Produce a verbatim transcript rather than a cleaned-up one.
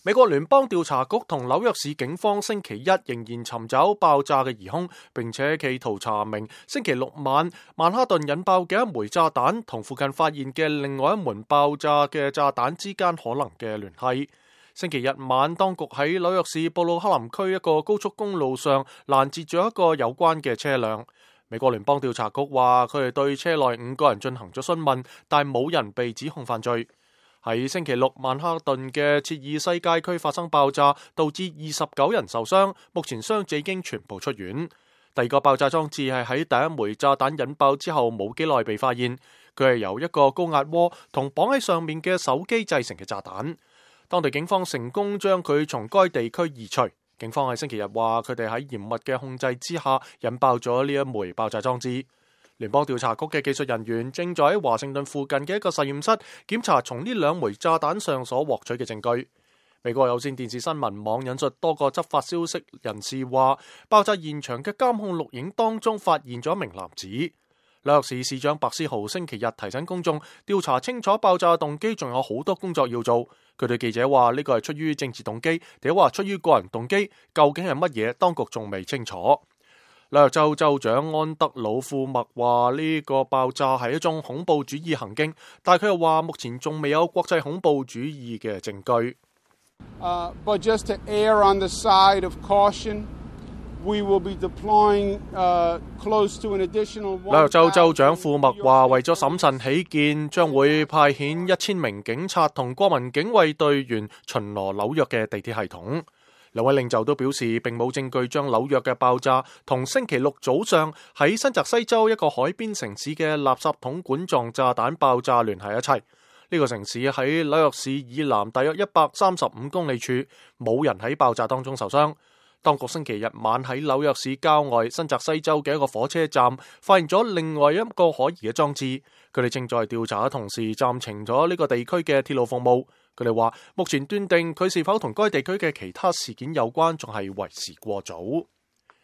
美國聯邦調查局同紐約市警方星期一仍然尋找爆炸嘅疑兇，並且企圖查明星期六晚曼哈頓引爆嘅一枚炸彈同附近發現嘅另外一門爆炸嘅炸彈之間可能嘅聯繫。星期日晚，當局喺紐約市布魯克林區一個高速公路上攔截咗一個有關嘅車輛。美國聯邦調查局話，佢哋對車內五個人進行咗詢問，但冇人被指控犯罪。喺星期六，曼哈頓嘅切爾西街區發生爆炸，導致二十九人受傷，目前傷者已經全部出院。第二個爆炸裝置係喺第一枚炸彈引爆之後冇幾耐被發現，佢係由一個高壓鍋同綁喺上面嘅手機製成嘅炸彈。當地警方成功將佢從該地區移除。警方喺星期日話，佢哋喺嚴密嘅控制之下引爆咗呢一枚爆炸裝置。聯邦調查局嘅技術人員正在喺華盛頓附近嘅一個實驗室檢查從呢兩枚炸彈上所獲取嘅證據。美國有線電視新聞網引述多個執法消息人士話，爆炸現場嘅監控錄影當中發現咗一名男子。紐約市市長白思豪星期日提醒公眾調查清楚爆炸動機，仲有好多工作要做。佢對記者話，呢個係出於政治動機，定話出於個人動機，究竟係乜嘢？當局仲未清楚。紐約州州長安德魯庫麥話，呢個爆炸係一種恐怖主義行徑，但係佢又話目前仲未有國際恐怖主義嘅證據。Uh, but just to err on the side of caution, we will be deploying uh, close to an additional。紐約州州長庫麥話，為咗審慎起見，將會派遣一千名警察同國民警衛隊員巡邏紐約嘅地鐵系統。兩位領袖都表示，並冇證據將紐約嘅爆炸同星期六早上喺新澤西州一個海邊城市嘅垃圾桶管狀炸彈爆炸聯繫一齊。呢個城市喺紐約市以南大約一百三十五公里處，冇人喺爆炸當中受傷。當局星期日晚喺紐約市郊外新澤西州嘅一個火車站發現咗另外一個可疑嘅裝置，佢哋正在調查嘅同時暫停咗呢個地區嘅鐵路服務。佢哋話目前斷定佢是否同該地區嘅其他事件有關，仲係為時過早。